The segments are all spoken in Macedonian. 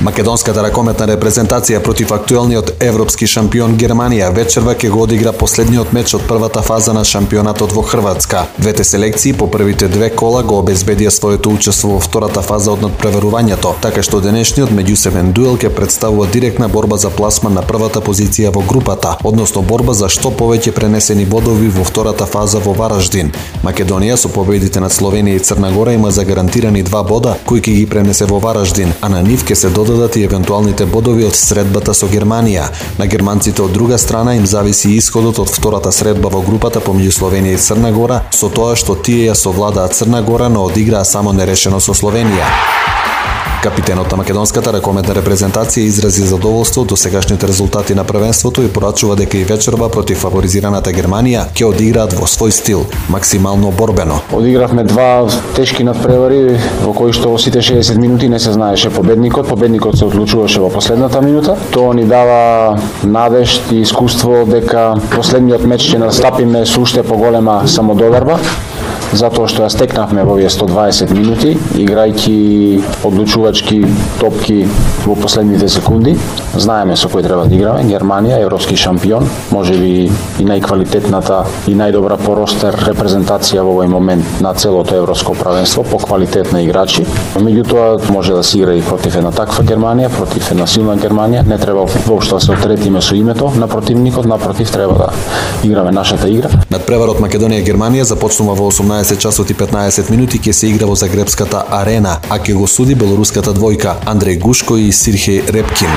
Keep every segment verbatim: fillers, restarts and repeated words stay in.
Македонската ракометна репрезентација против актуелниот европски шампион Германија вечерва ќе го одигра последниот меч од првата фаза на шампионатот во Хрватска. Двете селекции по првите две кола го обезбедија своето учество во втората фаза од надпреварувањето, така што денешниот меѓусебен дуел ќе представува директна борба за пласман на првата позиција во групата, односно борба за што повеќе пренесени бодови во втората фаза во Вараждин. Македонија со победите над Словенија и Црна Гора има загарантирани два бода кои ќе ги пренесе во Вараждин, а на нив ќе се додадат и евентуалните бодови од средбата со Германија. На германците од друга страна им зависи исходот од втората средба во групата помеѓу Словенија и Црна Гора, со тоа што тие ја совладаат Црна Гора, но одиграа само нерешено со Словенија. Капитенот на македонската ракометна репрезентација изрази задоволство до сегашните резултати на првенството и порачува дека и вечерва против фаворизираната Германија ќе одиграат во свој стил, максимално борбено. Одигравме два тешки надпревари во кои што во сите шеесет минути не се знаеше победникот. Победникот се одлучуваше во последната минута. Тоа ни дава надежд и искуство дека последниот меч ќе настапиме со уште поголема самодоверба, затоа што ја стекнавме во овие сто дваесет минути, играјќи одлучувачки топки во последните секунди. Знаеме со кој треба да играме, Германија, европски шампион, можеби и најквалитетната и најдобра по ростер репрезентација во овој момент на целото европско правенство, по квалитет на играчи. Меѓутоа може да се игра и против една таква Германија, против една силна Германија. Не треба воопшто да се отретиме со името на противникот, напротив треба да играме нашата игра. Надпреварот Македонија-Германија започнува во осумнаесет часот и петнаесет минути, ќе се игра во Загребската арена, а ќе го суди белоруската двојка Андреј Гушко и Сирхеј Репкин.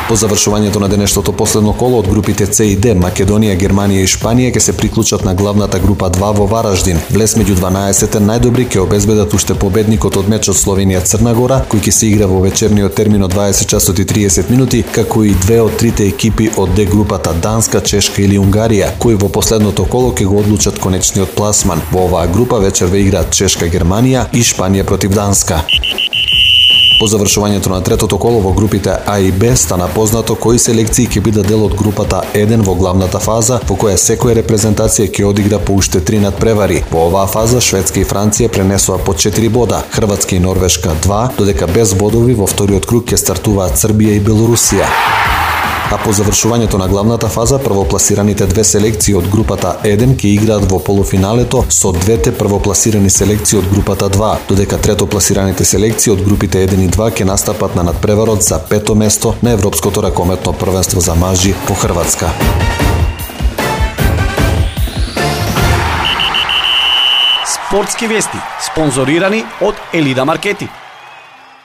По завршувањето на денешното последно коло од групите С и Д, Македонија, Германија и Шпанија ќе се приклучат на главната група два во Вараждин. Влез меѓу дванаесетте најдобри ќе обезбедат уште победникот од мечот Словенија-Црна Гора, кој ќе се игра во вечерниот термин од дваесет часот и триесет минути, како и две од трите екипи од Д групата Данска, Чешка или Унгарија, кои во последното коло ќе го одлучат конечниот пласман. Во оваа група вечерва играат Чешка, Германија и Шпанија против Данска. По завршувањето на третото коло во групите А и Б стана познато кои селекции ќе бидат дел од групата еден во главната фаза, во која секоја репрезентација ќе одигра по уште три надпревари. Во оваа фаза Шведска и Франција пренесоа по четири бода, Хрватска и Норвешка два, додека без бодови во вториот круг ќе стартуваат Србија и Белорусија. А по завршувањето на главната фаза, првопласираните две селекции од групата еден ќе играат во полуфиналето со двете првопласирани селекции од групата два, додека третопласираните селекции од групите еден и два ќе настапат на надпреварот за пето место на Европското ракометно првенство за мажи во Хрватска. Спортски вести, спонзорирани од Елида Маркети.